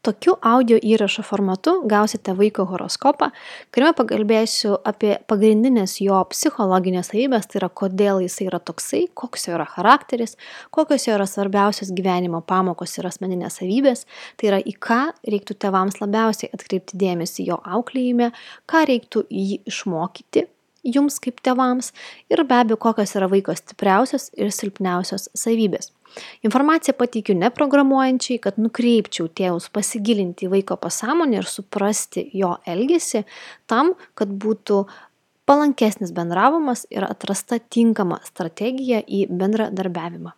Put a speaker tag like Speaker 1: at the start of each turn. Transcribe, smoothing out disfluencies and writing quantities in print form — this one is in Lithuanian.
Speaker 1: Tokiu audio įrašo formatu gausite vaiko horoskopą, kuriame pakalbėsiu apie pagrindinės jo psichologinės savybės, tai yra kodėl jisai yra toksai, koks jo yra charakteris, kokios jo yra svarbiausios gyvenimo pamokos ir asmeninės savybės, tai yra į ką reiktų tėvams labiausiai atkreipti dėmesį jo auklėjime, ką reiktų jį išmokyti jums kaip tėvams ir be abejo, kokios yra vaiko stipriausios ir silpniausios savybės. Informaciją pateikiu neprogramuojančiai, kad nukreipčiau tėvus pasigilinti į vaiko pasąmonę ir suprasti jo elgesį tam, kad būtų palankesnis bendravimas ir atrasta tinkama strategija į bendradarbiavimą.